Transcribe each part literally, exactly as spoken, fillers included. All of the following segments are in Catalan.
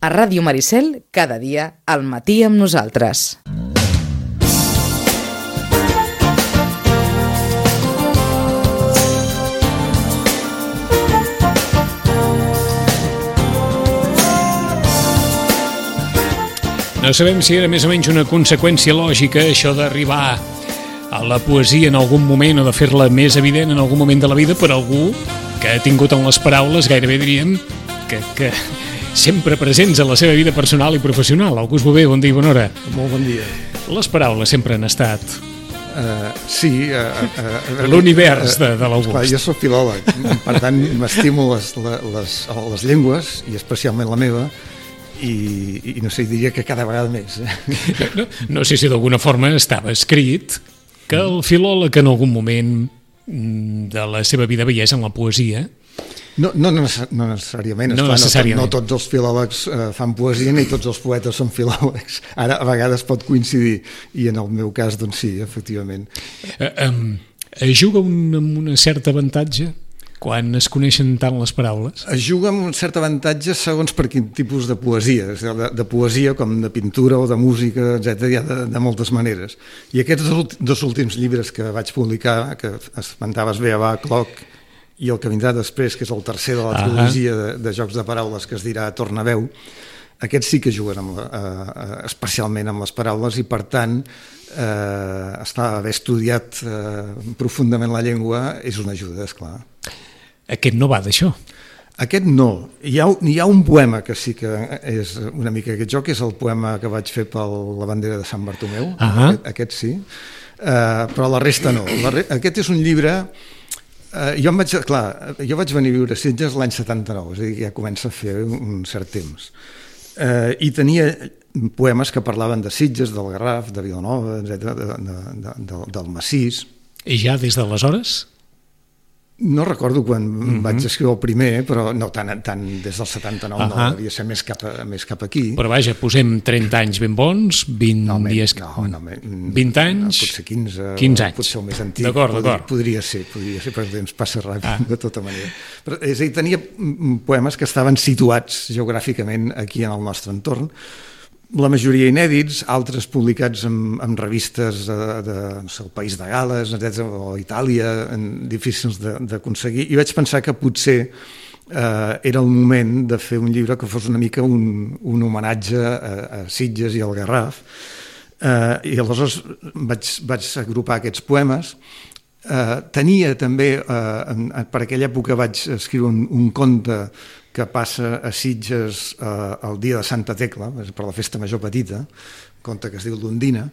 A Ràdio Maricel, cada dia, al matí amb nosaltres. No sabem si era més o menys una conseqüència lògica això d'arribar a la poesia en algun moment o de fer-la més evident en algun moment de la vida per algú que ha tingut en les paraules, gairebé diríem, que, que sempre presents a la seva vida personal i professional. August Bové, bon dia i bona hora. Molt bon dia. Les paraules sempre han estat uh, sí, uh, uh, l'univers de, de l'August. Clar, jo soc filòleg, per tant m'estimo les, les, les llengües, i especialment la meva, i, i no sé, diria que cada vegada més. No, no sé si d'alguna forma estava escrit que el filòleg en algun moment de la seva vida veiés en la poesia. No, no, no necessàriament, no, esclar, necessàriament. No, no tots els filòlegs eh, fan poesia ni tots els poetes són filòlegs. Ara a vegades pot coincidir, i en el meu cas doncs sí, efectivament. Eh, eh, juga un, amb un cert avantatge quan es coneixen tant les paraules? Es juga amb un cert avantatge segons per quin tipus de poesia. De, de poesia com de pintura o de música, etcètera, hi ha de, de moltes maneres. I aquests dos, dos últims llibres que vaig publicar, que esmentaves bé, Abà, Cloc, i el que vindrà després, que és el tercer de la trilogia de, de jocs de paraules, que es dirà Tornaveu, aquests sí que juguen amb la, eh, especialment amb les paraules, i per tant eh, estar, haver estudiat eh, profundament la llengua és una ajuda, esclar. Aquest no va d'això. Aquest no. Hi ha, hi ha un poema que sí que és una mica aquest joc, que és el poema que vaig fer per la bandera de Sant Bartomeu, uh -huh. aquest, aquest sí, uh, però la resta no. La re... Aquest és un llibre... Uh, jo, em vaig, clar, jo vaig venir a viure a Sitges l'any setanta-nou, és a dir, ja comença a fer un cert temps. Uh, I tenia poemes que parlaven de Sitges, del Garraf, de Vilanova, etcètera, de, de, de, de, del Massís. I ja des d'aleshores? No recordo quan mm-hmm. vaig escriure el primer, però no tant, tant des del setanta-nou, uh -huh. no, devia ser més cap, a, més cap aquí. Però vaja, posem trenta anys ben bons, vint no, dies... No, no, vint anys... Potser quinze, quinze anys. Potser el més antic. D'acord, podria, d'acord. podria ser, podria ser, però el temps passa ràpid, ah. de tota manera. Però, és a dir, tenia poemes que estaven situats geogràficament aquí en el nostre entorn, la majoria inèdits, altres publicats en, en revistes de, de no sé, el País de Gales, etcètera, o Itàlia, en, difícils d'aconseguir, i vaig pensar que potser eh, era el moment de fer un llibre que fos una mica un, un homenatge a, a Sitges i al Garraf, eh, i aleshores vaig, vaig agrupar aquests poemes. Eh, tenia també, eh, en, per aquella època vaig escriure un, un conte que passa a Sitges eh, el dia de Santa Tecla, per la festa major petita, un conte que es diu l'Ondina,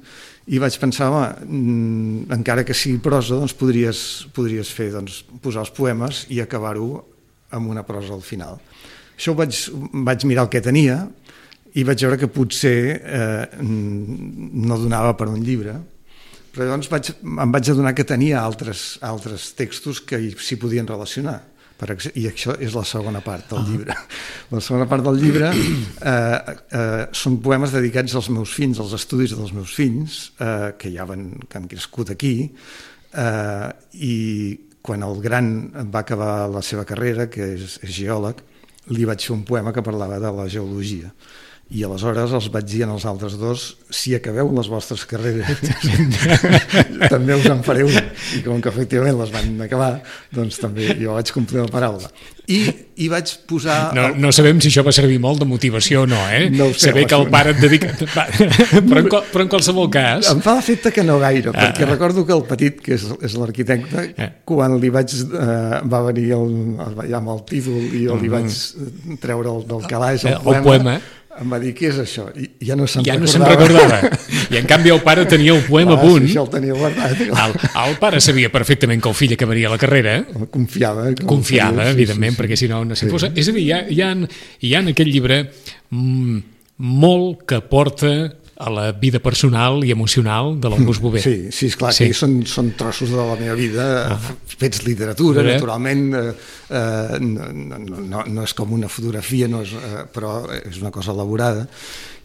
i vaig pensar, home, encara que sigui prosa, doncs podries, podries fer, doncs, posar els poemes i acabar-ho amb una prosa al final. Això ho vaig, vaig mirar el que tenia i vaig veure que potser eh, no donava per un llibre, però llavors vaig, em vaig adonar que tenia altres, altres textos que s'hi podien relacionar. Per i això és la segona part del llibre. La segona part del llibre eh, eh, són poemes dedicats als meus fills, als estudis dels meus fills, eh, que ja van, que han crescut aquí, eh, i quan el gran va acabar la seva carrera, que és, és geòleg, li vaig fer un poema que parlava de la geologia. I aleshores els vaig dir als altres dos, si acabeu les vostres carreres també us en faré una, i com que efectivament les van acabar, doncs també jo vaig complir la paraula i, i vaig posar no, el... no sabem si això va servir molt de motivació o no, eh? No sé, saber que el pare et dedica però, en, però en qualsevol cas em fa l'efecte que no gaire, ah, perquè recordo que el petit, que és, és l'arquitecte, eh. quan li vaig eh, va venir el, el, ja amb el títol i jo li vaig treure el, del calaix el, el poema, poema em va dir, què és això? I ja no se'n ja recordava. No se'n recordava. I en canvi el pare tenia el poema ah, a punt. Sí, això el tenia guardat. El, el pare sabia perfectament que el fill acabaria la carrera. Confiava. Confiava, sí, evidentment, sí, sí, perquè si no... no sí. Fos... És a dir, hi ha, hi, ha, hi ha en aquest llibre mm, molt que porta a la vida personal i emocional de l'August Bové. Sí, sí, esclar, sí. Que són, són trossos de la meva vida, ah. fets literatura, Però... naturalment, eh, eh, no, no, no és com una fotografia, no és, eh, però és una cosa elaborada.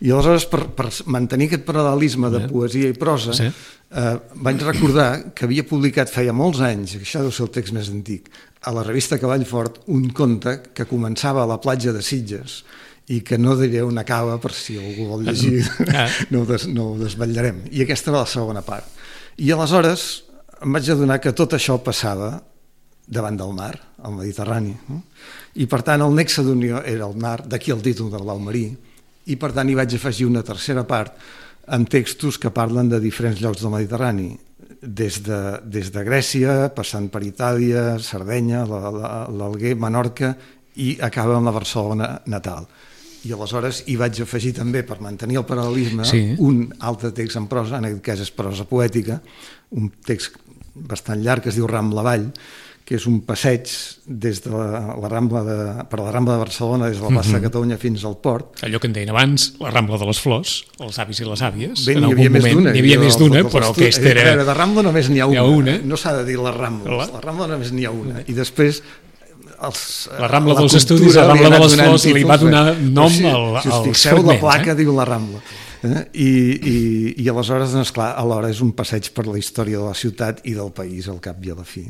I aleshores, per, per mantenir aquest paral·lelisme de poesia i prosa, sí. eh, vaig recordar que havia publicat feia molts anys, això deu ser el text més antic, a la revista Cavall Fort, un conte que començava a la platja de Sitges i que no diré on acaba per si algú vol llegir, ah. no, ho des, no ho desvetllarem. I aquesta va la segona part. I aleshores em vaig adonar que tot això passava davant del mar, al Mediterrani. No? I per tant el nexe d'unió era el mar, d'aquí el títol de Blau marí, i per tant hi vaig afegir una tercera part amb textos que parlen de diferents llocs del Mediterrani, des de, des de Grècia, passant per Itàlia, Sardenya, l'Alguer, Menorca, i acaba amb la Barcelona natal. I aleshores hi vaig afegir també, per mantenir el paral·lelisme, sí. un altre text en prosa, en aquest cas és prosa poètica, un text bastant llarg que es diu Rambla Avall, que és un passeig des de la, la Rambla de, per la Rambla de Barcelona, des de la plaça mm-hmm. de Catalunya fins al port. Allò que en deien abans, la Rambla de les Flors, els avis i les àvies. Bé, n'hi havia més d'una. N'hi havia més d'una, però aquesta era... De Rambla només n'hi ha una. una. No s'ha de dir les Rambles. La, la Rambla només n'hi ha una. I després... Els, la Rambla dels Estudis, la Rambla de les Flors, li va donar nom si, al, si als fixeu, fragments. La placa eh? diu la Rambla. Eh? I, i, I aleshores, doncs, clar, alhora és un passeig per la història de la ciutat i del país, al cap i a la fi.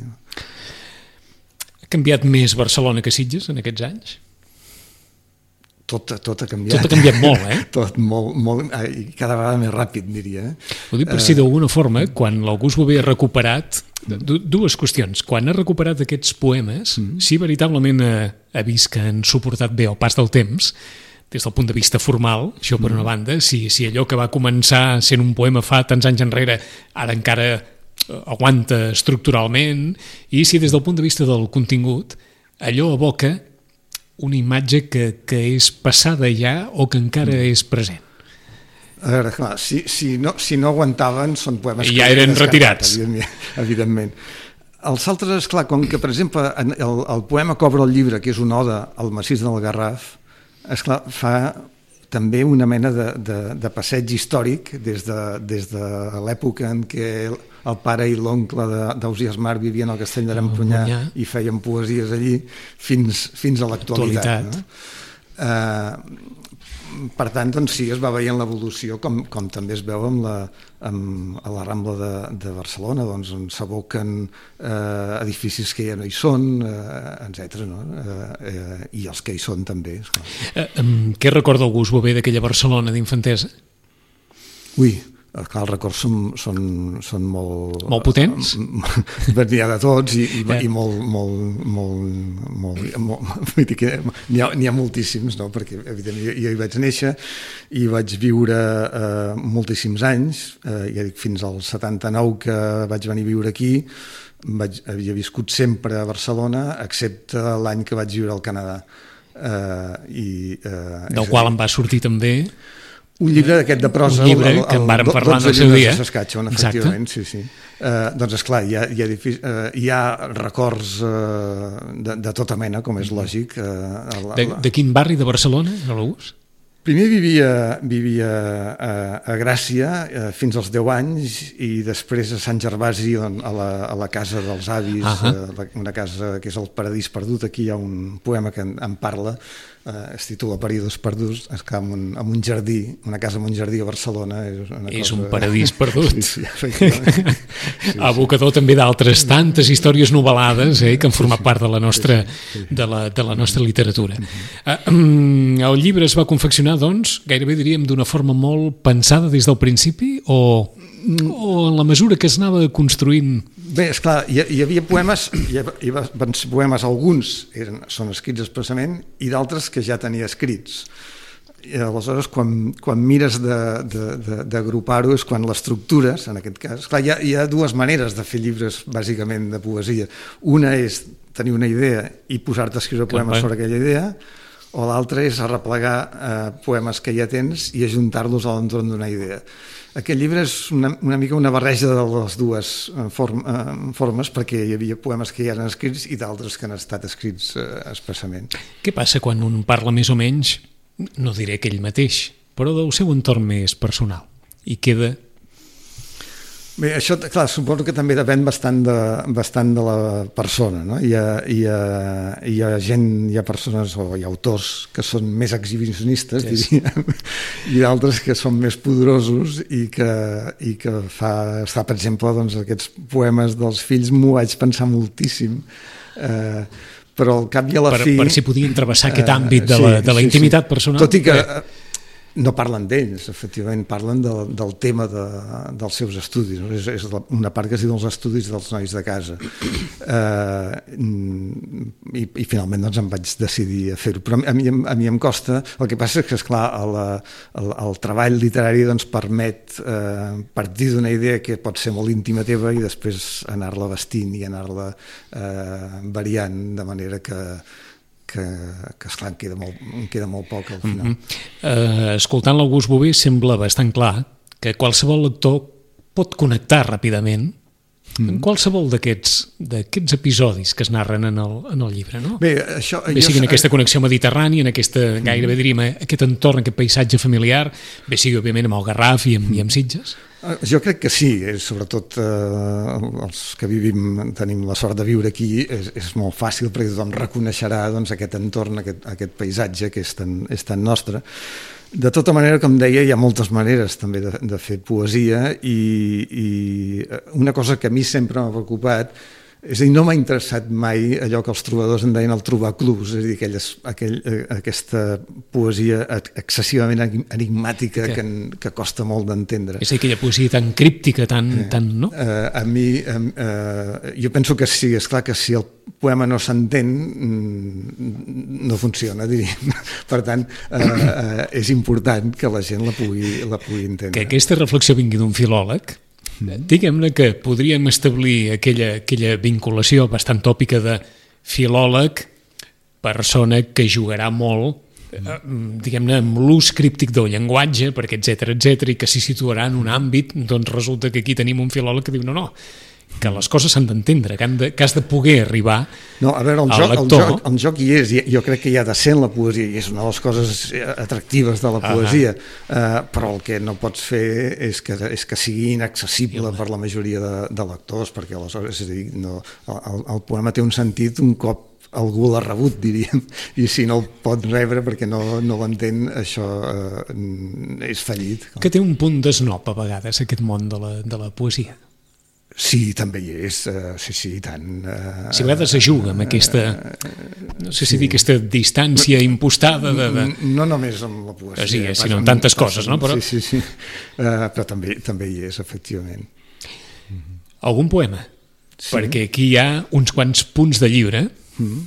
Ha canviat més Barcelona que Sitges en aquests anys? Tot, tot ha canviat. Tot ha canviat molt, eh? Tot molt, molt, i cada vegada més ràpid, diria. Eh? Ho dic per si d'alguna forma, quan l'August Bové ha recuperat, dues qüestions, quan ha recuperat aquests poemes, mm. si veritablement ha, ha vist que han suportat bé el pas del temps, des del punt de vista formal, això per una banda, si, si allò que va començar sent un poema fa tants anys enrere, ara encara aguanta estructuralment, i si des del punt de vista del contingut, allò evoca una imatge que, que és passada ja o que encara mm. és present. A veure, clar, si, si, no, si no aguantaven, són poemes... I ja eren retirats. Evidentment, evidentment. Els altres, esclar, com que, per exemple, el, el poema que obre el llibre, que és una oda al massís del Garraf, esclar, fa també una mena de, de, de passeig històric des de, des de l'època en què el pare i l'oncle d'Ausiàs Marc vivien al castell de l'Empunyà i feien poesies allí fins, fins a l'actualitat. No? Uh, per tant, doncs sí, es va veient l'evolució com, com també es veu amb la, amb, a la Rambla de, de Barcelona, doncs, on s'aboquen eh, edificis que ja no hi són, eh, etcètera, no? eh, eh, i els que hi són també. Eh, què recorda August Bové d'aquella Barcelona d'infantesa? Ui, clar, els records són, són, són molt... Molt potents? N'hi ha de tots i, i, i molt... molt, molt, molt, molt n'hi ha, n'hi ha moltíssims, no? Perquè evidentment jo, jo hi vaig néixer i vaig viure eh, moltíssims anys, eh, ja dic, fins al setanta-nou que vaig venir a viure aquí, vaig, havia viscut sempre a Barcelona, excepte l'any que vaig viure al Canadà. Eh, i, eh, Del qual em va sortir també... Un llibre d'aquest de prosa, un llibre el, el, que en vàrem parlar en el seu dia. de Saskatchewan, efectivament, sí, sí. Uh, doncs, esclar, hi ha, hi ha, uh, hi ha records uh, de, de tota mena, com és lògic. Uh, la, de, de quin barri de Barcelona, l'August? Primer vivia, vivia a, a Gràcia uh, fins als deu anys i després a Sant Gervasi, on, a, la, a la casa dels avis, uh -huh. uh, una casa que és el Paradís Perdut. Aquí hi ha un poema que en, en parla, Uh, es titula Paradís Perduts, és que en un, en un jardí, una casa en un jardí a Barcelona és, una és cosa... un paradís perdut. Sí, sí, efectivament. Sí, Abocador sí. també d'altres tantes històries novel·lades eh, que han format part de la nostra, sí, sí. De la, de la nostra literatura. Uh, um, el llibre es va confeccionar, doncs, gairebé diríem d'una forma molt pensada des del principi o, o en la mesura que es anava construint? Bé, esclar, hi, hi havia poemes, hi havia poemes, alguns eren, són escrits expressament i d'altres que ja tenia escrits. I aleshores, quan, quan mires d'agrupar-ho és quan l'estructures, en aquest cas. Esclar, hi ha, hi ha dues maneres de fer llibres, bàsicament, de poesia. Una és tenir una idea i posar-te a escriure poemes sobre aquella idea, o l'altra és arreplegar eh, poemes que ja tens i ajuntar-los a l'entorn d'una idea. Aquest llibre és una, una mica una barreja de les dues form, eh, formes, perquè hi havia poemes que ja eren escrits i d'altres que han estat escrits eh, expressament. Què passa quan un parla més o menys, no diré que ell mateix, però del seu entorn més personal, i queda... Bé, això, clar, suposo que també depèn bastant de, bastant de la persona, no? Hi ha, hi ha, hi ha gent, hi ha persones o hi ha autors que són més exhibicionistes, sí, diríem, i d'altres que són més poderosos i que, i que fa, està, per exemple, doncs, aquests poemes dels fills m'ho vaig pensar moltíssim, eh, però al cap i a la per, fi... Per si podien travessar aquest àmbit de la, de la sí, intimitat sí. personal. Tot i que no parlen d'ells, efectivament, parlen de, del tema de, dels seus estudis. No? És, és una part que es diu els estudis dels nois de casa. Uh, i, I finalment doncs, em vaig decidir a fer-ho. Però a mi, a mi em costa. El que passa és que, esclar, el, el, el treball literari doncs, permet uh, partir d'una idea que pot ser molt íntima teva i després anar-la vestint i anar-la uh, variant de manera que que, que esclar, em queda molt, em queda molt poc al final. Mm-hmm. Uh, escoltant l'August Bové sembla bastant clar que qualsevol lector pot connectar ràpidament mm. en qualsevol d'aquests d'aquests episodis que es narren en el, en el llibre, no? Bé, això... Bé sigui en aquesta connexió mediterrània, en aquesta, gairebé diríem, aquest entorn, aquest paisatge familiar, bé sigui, òbviament, amb el Garraf i amb, i amb Sitges. Jo crec que sí, sobretot eh, els que vivim, tenim la sort de viure aquí, és, és molt fàcil perquè tothom reconeixerà doncs, aquest entorn, aquest, aquest paisatge que és tan, és tan nostre. De tota manera, com deia, hi ha moltes maneres també de, de fer poesia i, i una cosa que a mi sempre m'ha preocupat és a dir, no m'ha interessat mai allò que els trobadors en deien el trobar clubs, és a dir, aquelles, aquell, aquesta poesia excessivament enigmàtica que, que costa molt d'entendre. És a dir, aquella poesia tan críptica, tan... Eh, tan no? Uh, a mi, uh, jo penso que sí, és clar que si el poema no s'entén, no funciona, diríem. Per tant, uh, uh, és important que la gent la pugui, la pugui entendre. Que aquesta reflexió vingui d'un filòleg, diguem-ne que podríem establir aquella, aquella vinculació bastant tòpica de filòleg, persona que jugarà molt, eh, diguem-ne, amb l'ús críptic del llenguatge, perquè etcètera, etcètera, i que s'hi situarà en un àmbit, doncs resulta que aquí tenim un filòleg que diu no, no, que les coses s'han d'entendre, que, de, que has de poder arribar no, a veure, el al joc, lector. El joc, el joc hi és, jo crec que hi ha de ser en la poesia, i és una de les coses atractives de la poesia, uh, però el que no pots fer és que, és que sigui inaccessible per la majoria de, de lectors, perquè aleshores, és a dir, no, el, el poema té un sentit un cop algú l'ha rebut, diríem, i si no el pot rebre perquè no, no l'entén, això eh, és fallit. Que té un punt d'esnop a vegades aquest món de la, de la poesia. Sí, també hi és, uh, sí, sí, i tant. Uh, si a vegades es juga amb aquesta, no sé si sí. dir, aquesta distància impostada de... de... No només amb la poesia. Sí, eh, sinó en tantes coses, no? Però... Sí, sí, sí, uh, però també, també hi és, efectivament. Algun poema? Sí. Perquè aquí hi ha uns quants punts de llibre, mm.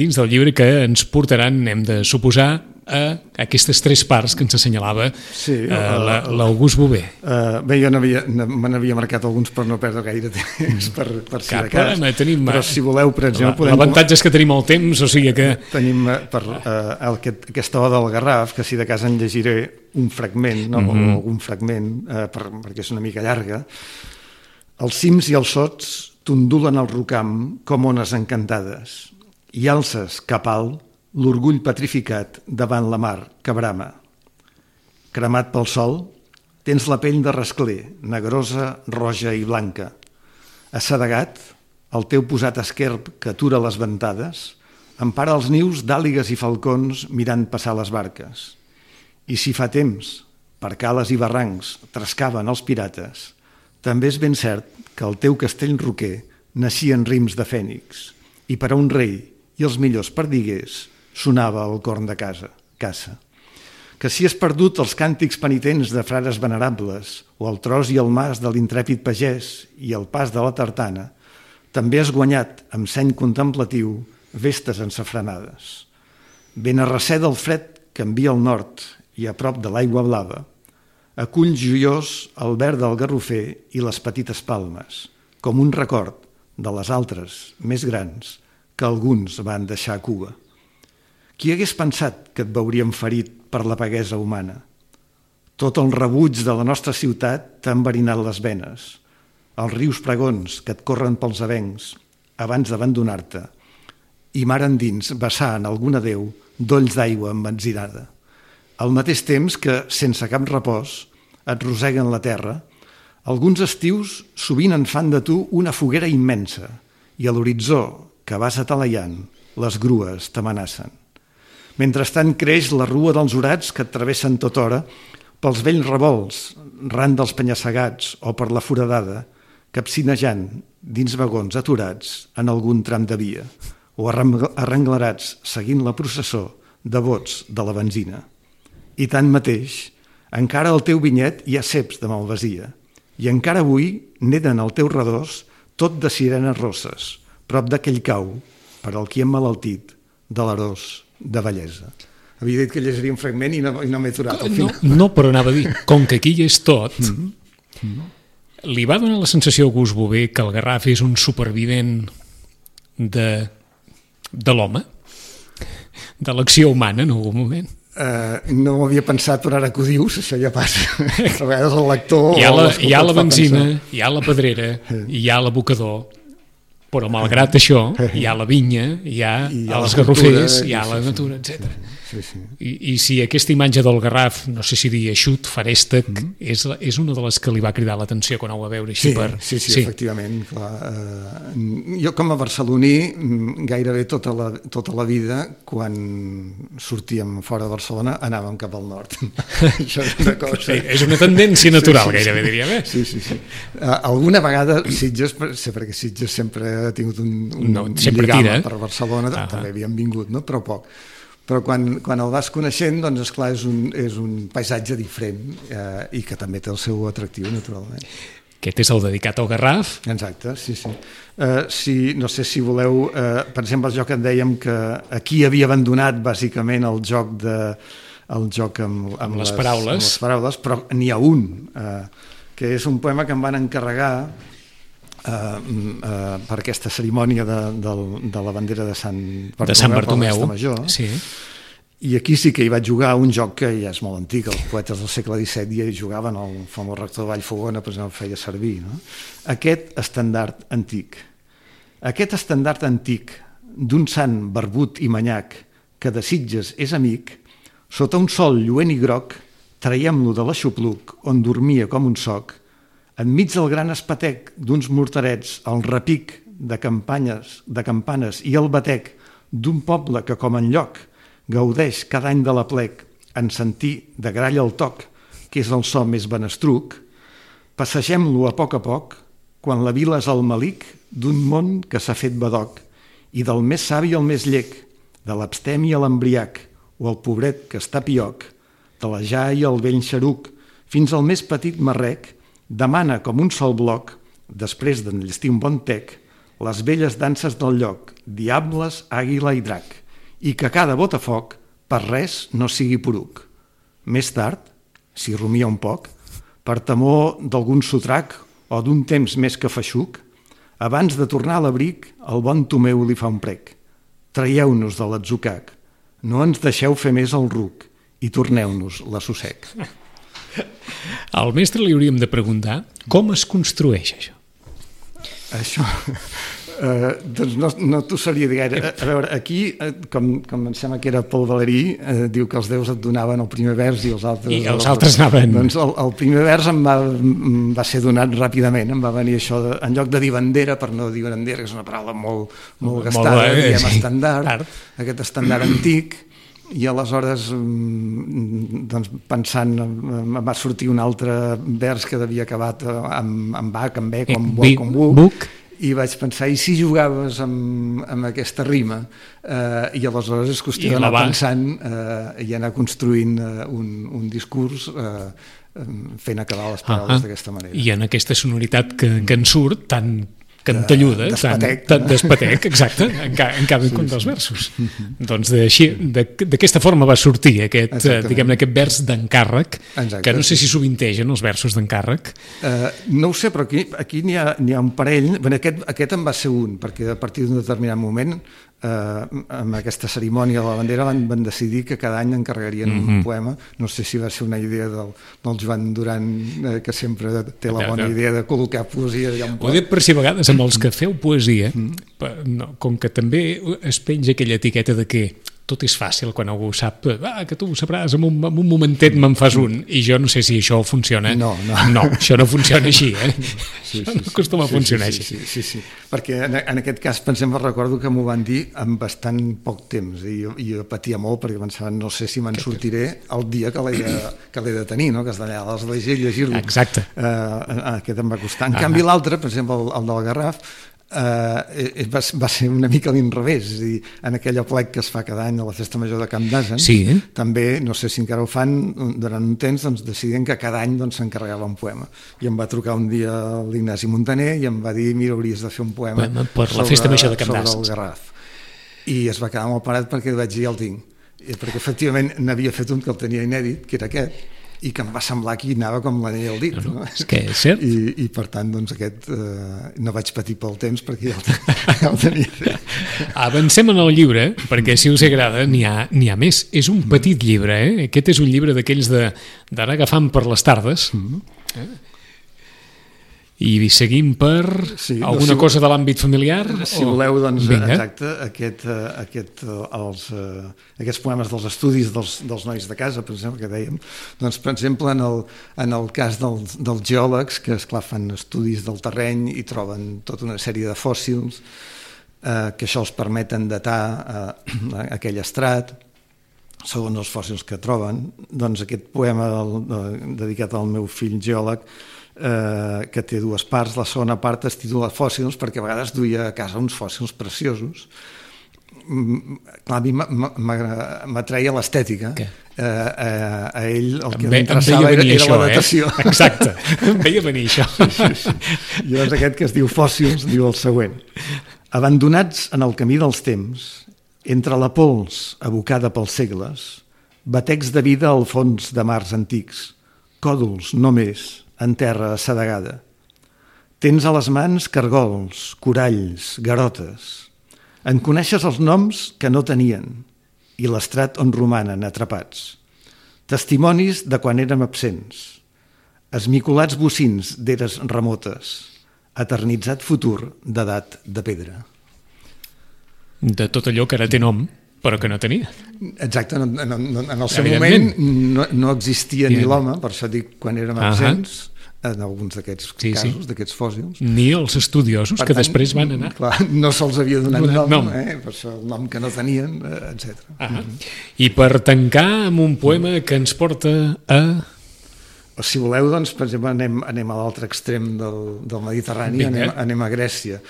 dins del llibre, que ens portaran, hem de suposar, a aquestes tres parts que ens assenyalava sí, uh, l'August Bové. Uh, bé, jo me n'havia marcat alguns per no perdre gaire temps, per, per si de cas. Tenim, però si voleu, per exemple... L'avantatge és que tenim el temps, o sigui que... Tenim per, uh, aquest, aquesta oda del Garraf, que si de cas en llegiré un fragment, no? Mm-hmm. o algun fragment, uh, per, perquè és una mica llarga. Els cims i els sots t'ondulen al rocam com ones encantades i alces cap alt l'orgull petrificat davant la mar que brama. Cremat pel sol, tens la pell de rascler, negrosa, roja i blanca. Assedegat, el teu posat esquerp que atura les ventades, empara els nius d'àligues i falcons mirant passar les barques. I si fa temps, per cales i barrancs, trescaven els pirates, també és ben cert que el teu castell roquer naixien rims de fènix, i per a un rei i els millors perdiguers sonava el corn de casa, caça. Que si has perdut els càntics penitents de frares venerables o el tros i el mas de l'intrèpid pagès i el pas de la tartana, també has guanyat, amb seny contemplatiu, vestes ensafranades. Ben a recer del fred que envia al nord i a prop de l'aigua blava, acull joiós el verd del garrofer i les petites palmes, com un record de les altres, més grans, que alguns van deixar a Cuba. Qui hagués pensat que et veuríem ferit per la paguesa humana? Tot el rebuig de la nostra ciutat t'ha enverinat les venes. Els rius pregons que et corren pels avencs abans d'abandonar-te i mar endins vessar en algun adéu dolls d'aigua embenzinada. Al mateix temps que, sense cap repòs, et roseguen la terra, alguns estius sovint en fan de tu una foguera immensa i a l'horitzó que vas atalayant les grues t'amenacen. Mentrestant creix la rua dels orats que et travessen tota hora pels vells revolts, ran dels penya-segats o per la foradada, capcinejant dins vagons aturats en algun tram de via, o arrenglerats seguint la processó de vots de la benzina. I tanmateix, encara al teu vinyet hi ha ceps de malvasia, i encara avui neden al teu redós tot de sirenes rosses, prop d'aquell cau, per al qui emmalaltit, de l'arós de bellesa. Havia dit que llegiria un fragment i no, i no m'he aturat al final. No, no, però anava a dir, com que aquí hi és tot, mm -hmm. li va donar la sensació a August Bové que el Garraf és un supervivent de, de l'home, de l'acció humana en algun moment? Uh, no ho havia pensat, però ara que ho dius, això ja passa. A vegades el lector... Hi ha la, hi ha la benzina, hi ha la pedrera, hi ha l'abocador, però malgrat això hi ha la vinya, hi ha, hi ha els garrofers, hi ha la natura, etcètera. Sí, sí. I, I si aquesta imatge del Garraf, no sé si dir eixut, farèstec, mm-hmm. és, és una de les que li va cridar l'atenció quan ho va veure així sí, per... Sí, sí, sí, efectivament. Clar. Uh, jo com a barceloní gairebé tota la, tota la vida, quan sortíem fora de Barcelona, anàvem cap al nord. Això és una cosa... Sí, és una tendència natural, sí, sí, gairebé, sí. diríem. Eh? Sí, sí, sí. Uh, alguna vegada Sitges, sí, perquè Sitges sempre ha tingut un, un no, lligam per Barcelona, ah, també havíem vingut, no? Però poc. Però quan, quan el vas coneixent, doncs, esclar, és un, és un paisatge diferent eh, i que també té el seu atractiu, naturalment. Aquest és el dedicat al Garraf? Exacte, sí, sí. Uh, si, no sé si voleu, uh, per exemple, el joc en dèiem que aquí havia abandonat bàsicament el joc, de, el joc amb, amb, amb, les, les, paraules. amb les paraules, però n'hi ha un, uh, que és un poema que em van encarregar Uh, uh, per aquesta cerimònia de, de, de la bandera de Sant Bartomeu, de Sant Bartomeu. Major, sí. I aquí sí que hi vaig jugar un joc que ja és molt antic, els poetes del segle disset ja hi jugaven, el famós rector de Vallfogona per exemple, feia servir, no? Aquest estendard antic aquest estendard antic d'un sant barbut i manyac que de Sitges és amic, sota un sol lluent i groc traiem-lo de l'aixopluc on dormia com un soc. Enmig del gran espatec d'uns morterets, el repic de campanyes, de campanes i el batec d'un poble que, com enlloc, gaudeix cada any de l'aplec en sentir de gralla el toc, que és el so més benestruc, passegem-lo a poc a poc, quan la vila és el malic d'un món que s'ha fet badoc, i del més savi al més llec, de l'abstemi a l'embriac, o el pobret que està pioc, de la ja i el vell xeruc, fins al més petit marrec, demana com un sol bloc, després d'enllestir un bon tec, les velles danses del lloc, diables, àguila i drac, i que cada botafoc per res no sigui poruc. Més tard, si rumia un poc, per temor d'algun sotrac o d'un temps més que feixuc, abans de tornar a l'abric, el bon Tomeu li fa un prec. Traieu-nos de l'atzucac, no ens deixeu fer més el ruc i torneu-nos l'assossec. Al mestre li hauríem de preguntar com es construeix això. Això, eh, doncs no, no t'ho sabria dir gaire. A, a veure, aquí, eh, com, com em sembla que era Paul Valéry, eh, diu que els déus et donaven el primer vers i els altres... I els altres anaven... Doncs el, el primer vers em va, em va ser donat ràpidament, em va venir això, de, en lloc de dir bandera, per no dir bandera, que és una paraula molt, molt gastada, molt, eh, diguem sí. estandard, aquest estandard antic, i aleshores doncs, pensant em va sortir un altre vers que havia acabat amb, amb bac, amb bec, amb buc, amb buc, buc, i vaig pensar, i si jugaves amb, amb aquesta rima? Eh, I aleshores és qüestió d'anar pensant eh, i anar construint eh, un, un discurs eh, fent acabar les paraules uh -huh. d'aquesta manera. I en aquesta sonoritat que, que en surt tan cantelluda, d'espatec, tant, tant d'espatec, exacte, en, ca, en cada sí, un dels versos. Mm-hmm. Doncs d'aquesta forma va sortir aquest, diguem-ne, aquest vers d'encàrrec, que no sé si sovintegen els versos d'encàrrec. Uh, no ho sé, però aquí, aquí n'hi ha, n'hi ha un parell. Bé, aquest, aquest en va ser un, perquè a partir d'un determinat moment, uh, amb aquesta cerimònia de la bandera, van, van decidir que cada any encarregarien mm-hmm. un poema. No sé si va ser una idea del, del Joan Duran, eh, que sempre té la bona idea de col·locar poesia allà un poc. Ho dic per si a vegades amb els que feu poesia, mm. no, com que també es penja aquella etiqueta de que tot és fàcil quan algú sap ah, que tu ho sabràs, en un, en un momentet me'n fas un, i jo no sé si això funciona. No, no. No, això no funciona així, eh? Sí, això sí, no acostuma sí, a funcionar sí, així. Sí, sí, sí, sí. Perquè en, en aquest cas, pensem, recordo que m'ho van dir en bastant poc temps, i jo, i jo patia molt perquè pensava, no sé si me'n sortiré el dia que l'he de, que l'he de tenir, no? Que has d'anar a l'església i llegir-lo. Exacte. Uh, aquest em va costar. En ah. canvi, l'altre, per exemple, el, el del Garraf, Uh, va, va ser una mica a l'inrevés, és a dir, en aquell aplec que es fa cada any a la Festa Major de Camp d'Asen, sí, eh? també, no sé si encara ho fan, durant un temps doncs, decidien que cada any s'encarregava doncs, un poema. I em va trucar un dia l'Ignasi Montaner i em va dir, mira, hauries de fer un poema bueno, per la sobre, Festa Major de Camp d'Asen, sobre el Garraf. I es va quedar molt parat perquè vaig dir, ja el tinc. I perquè efectivament n'havia fet un que el tenia inèdit, que era aquest, i que em va semblar que hi anava com l'anell al dit. No, no? És que és cert. I, i per tant, doncs, aquest eh, no vaig patir pel temps perquè ja el, ja el tenia fet. Avancem en el llibre, perquè si us agrada n'hi ha, n'hi ha més. És un petit llibre, eh? Aquest és un llibre d'aquells de, d'anar agafant per les tardes. Mm-hmm. eh? I seguim per sí, alguna no, si, cosa de l'àmbit familiar? Si o... voleu, doncs, Vinga. exacte, aquest, aquest, els, aquests poemes dels estudis dels, dels nois de casa, per exemple, que dèiem, doncs, per exemple, en el, en el cas dels, dels geòlegs, que, esclar, fan estudis del terreny i troben tota una sèrie de fòssils, eh, que això els permeten datar eh, aquell estrat, segons els fòssils que troben. Doncs aquest poema del, de, dedicat al meu fill geòleg, Eh, que té dues parts. La segona part es titula Fòssils, perquè a vegades duia a casa uns fòssils preciosos. Mm, clar, a mi m'atreia l'estètica. Eh, eh, a ell el que l'interessava era, era la datació. Eh? Exacte, em veia venir això. Sí, sí, sí. I llavors aquest que es diu Fòssils diu el següent: abandonats en el camí dels temps, entre la pols abocada pels segles, batecs de vida al fons de mars antics, còdols només en terra assedegada. Tens a les mans cargols, coralls, garotes. En coneixes els noms que no tenien i l'estrat on romanen atrapats. Testimonis de quan érem absents. Esmicolats bocins d'eres remotes. Eternitzat futur d'edat de pedra. De tot allò que ara té nom, però que no tenia. Exacte, en, en, en el seu moment no, no existia ni l'home, per això dic quan érem absents, uh-huh. en alguns d'aquests sí, casos, sí. d'aquests fòssils. Ni els estudiosos, per que tant, després van anar. Clar, no se'ls havia donat nom, nom. Eh? Per això el nom que no tenien, etcètera. Uh-huh. Mm-hmm. I per tancar amb un poema que ens porta a... O si voleu, doncs, per exemple, anem, anem a l'altre extrem del, del Mediterrani, anem, anem a Grècia.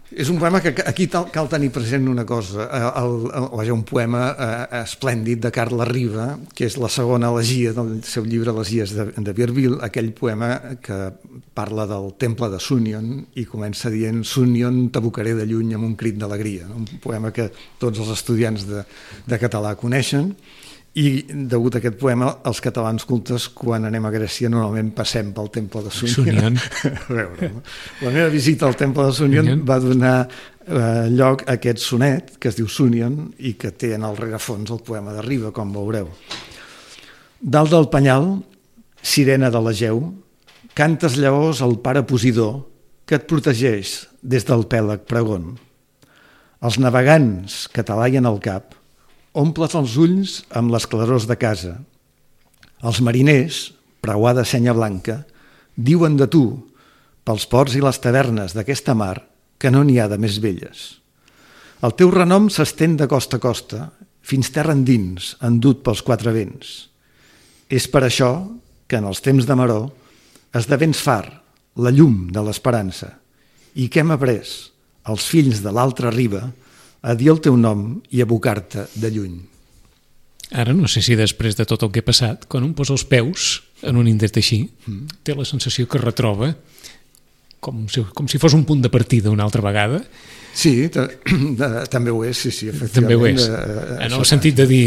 És un poema que aquí cal tenir present una cosa, el, el, el, un poema eh, esplèndid de Carles Riba, que és la segona elegia del seu llibre Elegies de, de Virbil, aquell poema que parla del temple de Súnion i comença dient Súnion t'abocaré de lluny amb un crit d'alegria, no? Un poema que tots els estudiants de, de català coneixen. I degut a aquest poema, els catalans cultes, quan anem a Grècia, normalment passem pel temple de Súnion. A veure, no? La meva visita al temple de Súnion va donar eh, lloc a aquest sonet, que es diu Súnion, i que té en el rerefons el poema de Riba, com veureu. Dalt del penyal, sirena de l'Egeu, cantes llavors al pare Posidó, que et protegeix des del pèlag pregon. Els navegants que t'alaien al cap, omples els ulls amb les clarors de casa. Els mariners, preuada senya blanca, diuen de tu, pels ports i les tavernes d'aquesta mar, que no n'hi ha de més belles. El teu renom s'estén de costa a costa, fins terra endins, endut pels quatre vents. És per això que en els temps de maror esdevens far, la llum de l'esperança, i que hem après, els fills de l'altra riba, a dir el teu nom i abocar-te de lluny. Ara no sé si després de tot el que ha passat, quan un posa els peus en un indret així, mm. té la sensació que retroba com si, com si fos un punt de partida una altra vegada. Sí, també ho és, sí, sí, efectivament. També ho és, de, en el sentit de dir,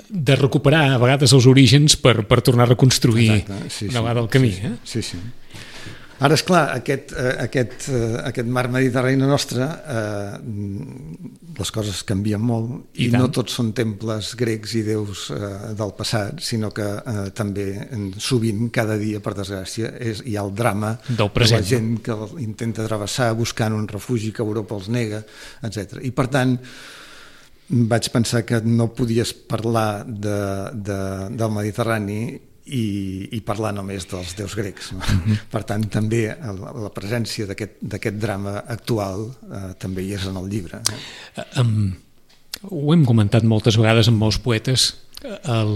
de recuperar a vegades els orígens per, per tornar a reconstruir Exacte, sí, una vegada el camí. Sí, eh? sí, sí. Ara, esclar, aquest, aquest, aquest mar mediterrani nostre, eh, les coses canvien molt i, i no tots són temples grecs i déus eh, del passat, sinó que eh, també sovint, cada dia, per desgràcia, és, hi ha el drama del present, de la gent que intenta travessar buscant un refugi que Europa els nega, etcètera. I, per tant, vaig pensar que no podies parlar de, de, del Mediterrani I, i parlar només dels déus grecs. No? Mm-hmm. Per tant, també la, la presència d'aquest drama actual eh, també hi és en el llibre. Eh, um, ho hem comentat moltes vegades amb molts poetes. El,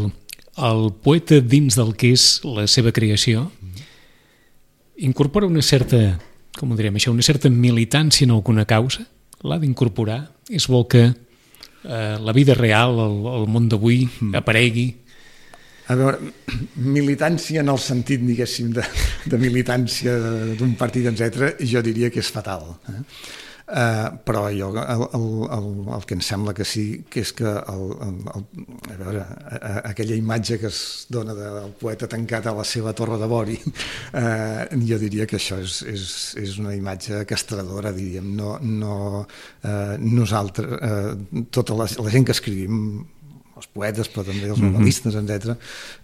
el poeta, dins del que és la seva creació, incorpora una certa com ho direm això, una certa militància en alguna causa? L'ha d'incorporar? És bo que eh, la vida real, el, el món d'avui, mm. aparegui? A veure, militància en el sentit, diguéssim, de, de militància d'un partit, etcètera, jo diria que és fatal. Eh? Uh, però jo, el, el, el, el que em sembla que sí, que és que el, el, el, a veure, a, a, aquella imatge que es dona del poeta tancat a la seva torre de vori, uh, jo diria que això és, és, és una imatge castradora, diríem. No, no, uh, nosaltres, uh, tota la, la gent que escrivim, els poetes, però també els novel·listes, etcètera,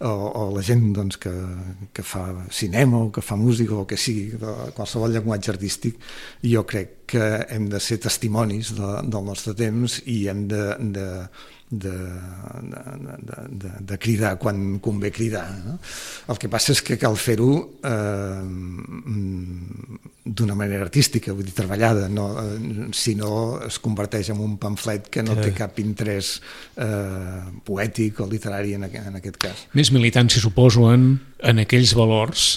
o, o la gent doncs, que, que fa cinema o que fa música o que sigui, qualsevol llenguatge artístic, jo crec que hem de ser testimonis de, del nostre temps i hem de, de, de, de, de, de, de cridar quan convé cridar. No? El que passa és que cal fer-ho eh, d'una manera artística, vull dir, treballada, no, eh, si no es converteix en un pamflet que no té cap interès eh, poètic o literari en, en aquest cas. Més militància, suposo, en, en aquells valors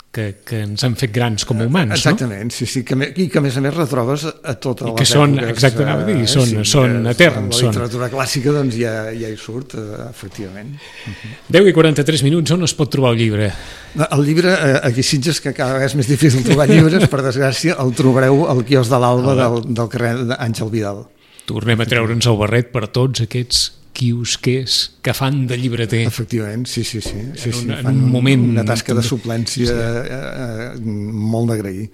que, que ens han fet grans com a humans, exactament, no? Sí, sí, que, i que a més a més retrobes a totes les que són, èpoques. exactament, eh, dir, són, sí, són eterns. La literatura són. Clàssica doncs, ja, ja hi surt, eh, efectivament. deu i quaranta-tres minuts, on es pot trobar el llibre? El llibre, eh, aquí a Sitges, que cada vegada és més difícil trobar llibres, per desgràcia, el trobareu al quiosc de l'Alba del, del carrer d'Àngel Vidal. Tornem a treure'ns el barret per tots aquests quiosquers que fan de llibreter. Efectivament, sí, sí, sí. sí, sí. En, un, fan en un moment... Una tasca de suplència sí. eh, eh, molt d'agrair.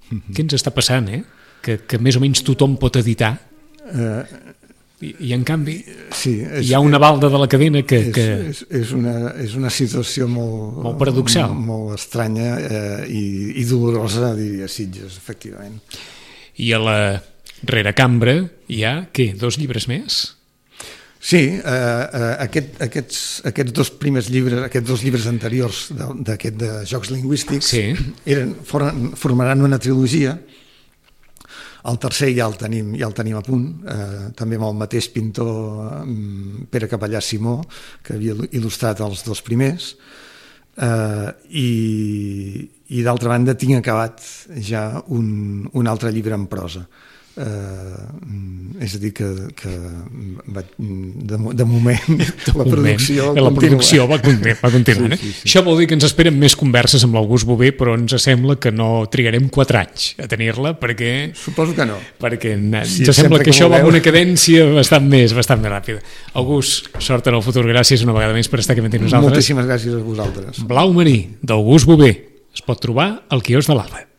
Què ens està passant, eh? Que, que més o menys tothom pot editar eh, i, i en canvi sí, és, hi ha una balda de la cadena que... És, que... és, és, una, és una situació molt... Molt paradoxal. Molt, molt estranya eh, i, i dolorosa, diria Sitges, efectivament. I a la reracambra hi ha, què, dos llibres més? Sí, eh, eh, aquest, aquests, aquests dos primers llibres, aquests dos llibres anteriors d'aquest de, de jocs lingüístics sí. eren, foren, formaran una trilogia. El tercer ja el tenim, ja el tenim a punt, eh, també amb el mateix pintor Pere Capellà Simó, que havia il·lustrat els dos primers, eh, i, i d'altra banda tinc acabat ja un, un altre llibre en prosa. Uh, és a dir que, que va, de, de moment de la producció moment, la producció va, continu, va continuar sí, sí, sí. Això vol dir que ens esperen més converses amb l'August Bové, però ens sembla que no trigarem quatre anys a tenir-la perquè... Suposo que no, perquè si ens sembla que, que això va amb una cadència bastant més, bastant més ràpida. August, sort en el futur, gràcies una vegada més per estar aquí amb nosaltres. Moltíssimes gràcies a vosaltres. Blau marí d'August Bové es pot trobar al quiosc de l'Alba.